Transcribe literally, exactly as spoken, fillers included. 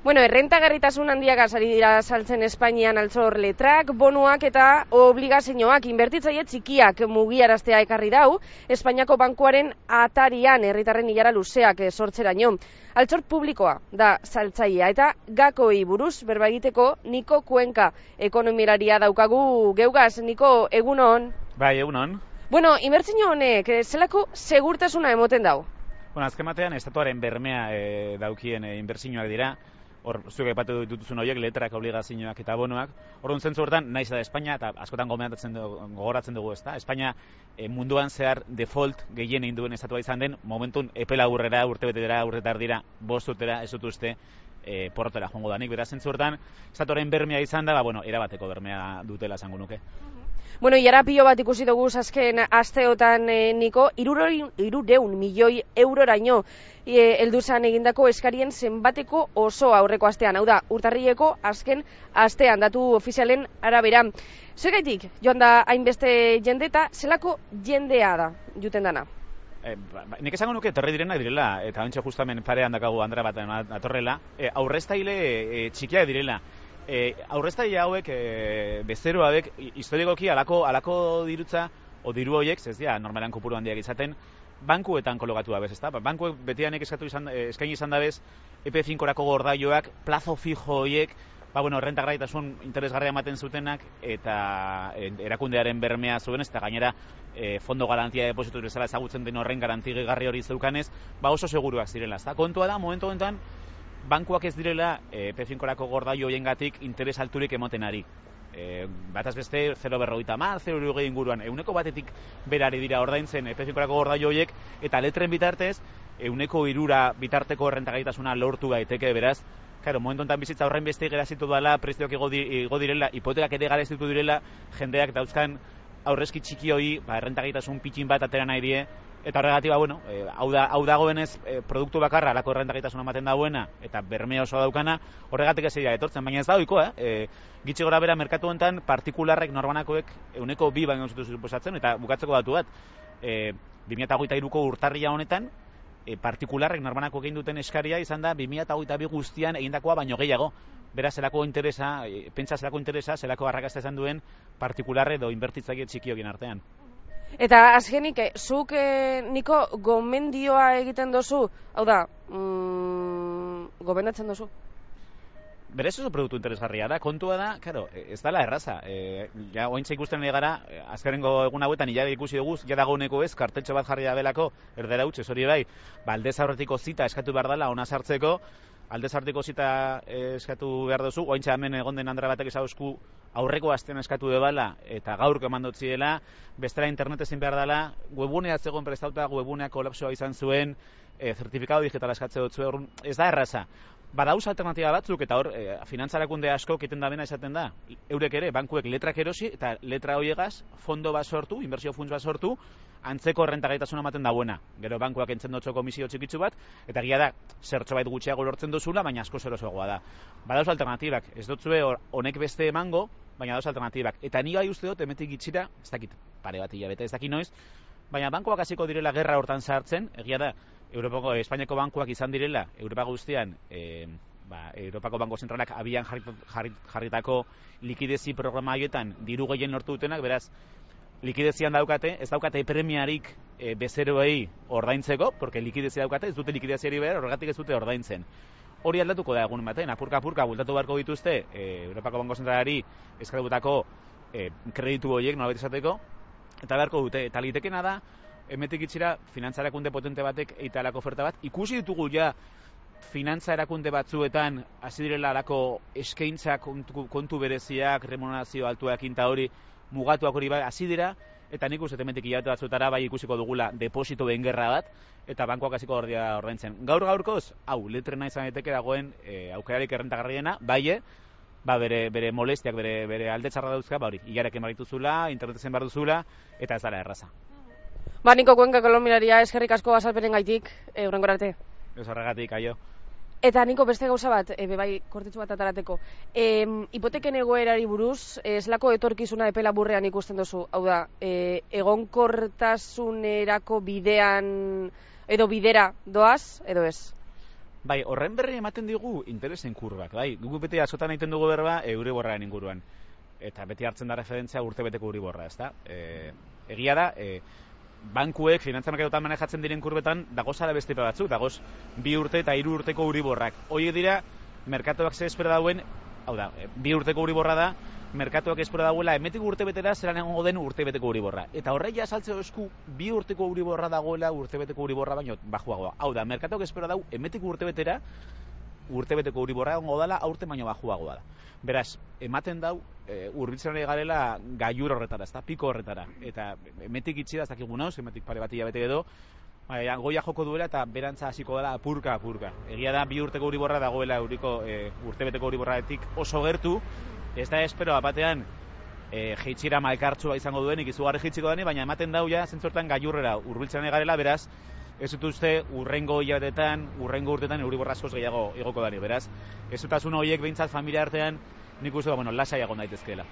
Bueno, errentagarritasun handiagaz ari dira saltzen Espainian altzor letrak, bonuak eta obligazioak inbertitzaile txikiak mugiaraztea ekarri dau, Espainiako bankuaren atarian herritarren ilara luzeak sortzeraino. Altzor publikoa da saltzailea eta gakoei buruz berba egiteko Niko Kuenka ekonomilaria daukagu geugaz. Niko, egunon? Bai, egunon. Bueno, inbertsio honek zelako segurtasuna emoten dau? Bueno, azken batean estatuaren bermea e, daukien e, inbertsioak dira. Hor, zuek aipatu dituzun horiek, letrak, obligazioak eta bonoak. Orduan zentzu hortan, naiz da Espainia, eta askotan gomendatzen dugu, gogoratzen dugu, ezta? Espainia e, munduan zehar default gehien egin duen estatua izan den, momentun epela urrera, urtebetera, urtetar dira, bost urtera, ez dut uste, e, porrotera joango danik. Beraz, zentzu hortan, estatuaren bermea izan da, ba, bueno, erabateko bermea dutela esango nuke. Bueno, iara pilo bat ikusi dugu azken asteotan, eh, Niko, irureun milioi euroraino eh, helduzan egindako eskarien zenbateko oso aurreko astean, hau da, urtarrileko azken astean, datu ofizialen arabera. Zergaitik, joan da hainbeste jende eta zelako jendea da, juten dana? E, ba, nik esango nuke etorri direnak direla, eta ontsa justamen parean dakagu Andra bat atorrela, e, aurreztaile e, txikiak direla. E, aurreztaile hauek, e, bezero hauek, historikoki alako, alako dirutza, o diru horiek, ez dira, normalan kopuru handiak izaten, bankuetan kologatu dabez, ezta? Bankuek betianek eskatu izan, eskaini izan dabez, E P cinco-rako gordaioak, plazo fijo horiek, ba, bueno, rentagarritasun interesgarria ematen zutenak, eta e, erakundearen bermea zuen, eta gainera, e, fondo garantia depositu bezala ezagutzen den horren garantigarri hori zeukanez, ba oso seguruak zirela, ezta? Kontua da, momentu honetan, bankuak ez direla E P cinco-rako gordaio hoiengatik interes alturik emoten ari. E, bataz beste zero koma berrogeita hamar, zero koma hirurogei inguruan, ehuneko batetik berari dira ordaintzen E P cinco-rako gordaio hoiek, eta letren bitartez, ehuneko hirura bitarteko errentagaitasuna lortu daiteke, beraz, claro, momentu honetan bizitza horren beste gerazitu dela, prezioak igo, di, igo direla, hipotekak ere garazitu direla, jendeak dauzkan aurrezki txiki hori, ba, errentagaitasun pitxin bat atera nahi die, eta horregatik, ba, bueno, e, hau, da, hau dagoenez e, produktu bakarra alako errentagaitasuna ematen dauena, eta bermea oso daukana, horregatik ez dira etortzen, baina ez da ohikoa, eh? E, gitxi gora bera merkatu honetan, partikularrek norbanakoek euneko bi baino zutu suposatzen, eta bukatzeko datu bat, e, bi mila hogeita hiruko urtarria honetan, e, partikularrek norbanakoek egin duten eskaria izan da bi mila hogeita bi guztian egindakoa baino gehiago. Beraz, zelako interesa, e, pentsa zelako interesa, zelako arrakasta izan duen partikularre edo inbertitzaile txikiogien artean. Eta azkenik, eh, zuk, eh, Niko, gomendioa egiten dozu, hau da, mm, gomendatzen dozu? Berez oso produktu interesgarria da, kontua da, claro, ez dala erraza. E, ja, ointza ikusten gara, azkarengo egun hauetan hilare ikusi dugu, ja dagoeneko ez, karteltxo bat jarri da belako, erdera utxe, hori bai, ba, aldez aurretiko zita eskatu behar dela, ona sartzeko, aldez aurretiko zita eskatu behar duzu, ointza hemen egon den Andra batek ezauzku aurreko astean eskatu debala, eta gaurko eman dutziela, bestela internet ezin behar dela, webunea zegoen prestauta, webunea kolapsoa izan zuen, e, zertifikado digitala eskatze dut zuen, ez da erraza. Badauz alternatiba batzuk, eta hor, e, finantzarakunde asko kiten da bena esaten da, eurek ere, bankuek letrak erosi, eta letra horiegaz, fondo bat sortu, inbertsio funts bat sortu, antzeko rentagaitasuna ematen dauena. Gero bankuak entzen dutxo komisio txikitzu bat, eta gira da, zertxo bait gutxiago lortzen duzula, baina asko zerosoagoa da. Badauz alternatibak, ez dutzue honek beste emango, baina dauz alternatibak. Eta ni gai uste dut, emetik gitxira, ez dakit, pare bat hilabete, ez dakit noiz, baina bankuak hasiko direla gerra hortan sartzen, egia da, Europako, Espainiako bankuak izan direla, Europa guztian, e, ba, Europako Banko Zentralak abian jarrit, jarritako likidezi programa haietan diru gehien lortu dutenak, beraz, likidezian daukate, ez daukate premiarik e, bezeroei ordaintzeko, porque likidezia daukate, ez dute likideziari behar, horregatik ez dute ordaintzen. Hori aldatuko da egun batean, apurka-apurka bultatu beharko dituzte, e, Europako Banko Zentralari eskatutako e, kreditu horiek, nolabait esateko, eta beharko dute, eta litekena da, emetik itxira, finantza erakunde potente batek eita alako oferta bat. Ikusi ditugu ja, finantza erakunde batzuetan, hasi direla alako eskaintza kontu, kontu bereziak, remunerazio altuak inta hori, mugatuak hori bai, hasi dira, eta nik uste emetik hilabete batzutara bai ikusiko dugula deposito bengerra bat, eta bankoak hasiko ordia ordaintzen. Gaur gaurkoz, hau, letrena izan daiteke dagoen e, aukerarik errentagarriena, bai, ba, bere, bere molestiak, bere, bere alde txarra dauzka, ba hori, hilarek emarituzula, internetezen behar duzula, eta ez dara erraza. Ba, Niko Kuenka kolombiaria eskerrik asko azalpenen gaitik, e, hurrengora arte. Ez horregatik, aio. Eta Niko, beste gauza bat, e, bebai, kortitzu bat atarateko. E, hipoteken egoerari buruz, eslako etorkizuna epela burrean ikusten duzu. Hau da, e, egonkortasunerako bidean, edo bidera doaz, edo ez? Bai, horren berri ematen digu interesen kurbak, bai. Guk beti askotan egiten dugu berba Euriborraren inguruan. Eta beti hartzen da referentzia urtebeteko Euriborra, ezta? E, egia da, e, bankuek, finantza merkatuetan manejatzen diren kurbetan, dagozala beste batzuk, dagoz bi urte eta hiru urteko Euriborrak. Horiek dira, merkatuak ze espera dauen, hau da, bi urteko Euriborra da, merkatuak espero dagoela emetik urtebetera zelan egongo den urtebeteko Euriborra. Eta horreia saltzeo esku bi urteko Euriborra dagoela urtebeteko Euriborra baino bajuagoa. Hau da, merkatuak espero dau emetik urtebetera urtebeteko Euriborra egongo dela aurte baino bajuagoa da. Beraz, ematen dau e, hurbiltzen ari garela gailur horretara, ezta, piko horretara. Eta emetik itxi da ez dakigu nauz, emetik pare bat hilabete edo, Baina, goia joko duela eta berantza hasiko dela apurka apurka. Egia da bi urteko Euriborra dagoela euriko e, urtebeteko Euriborraetik oso gertu. Ez da espero batean e, jeitxira malkartsua izango duenik izugarri jeitsiko dani, baina ematen dau ja zentzortan gailurrera hurbiltzen garela, beraz ez dut uste urrengo hilabetetan, urrengo urtetan Euriborra askoz gehiago igoko dani. Beraz, ez dutasun horiek behintzat familia artean nik uste da, bueno, lasai egon daitezkeela.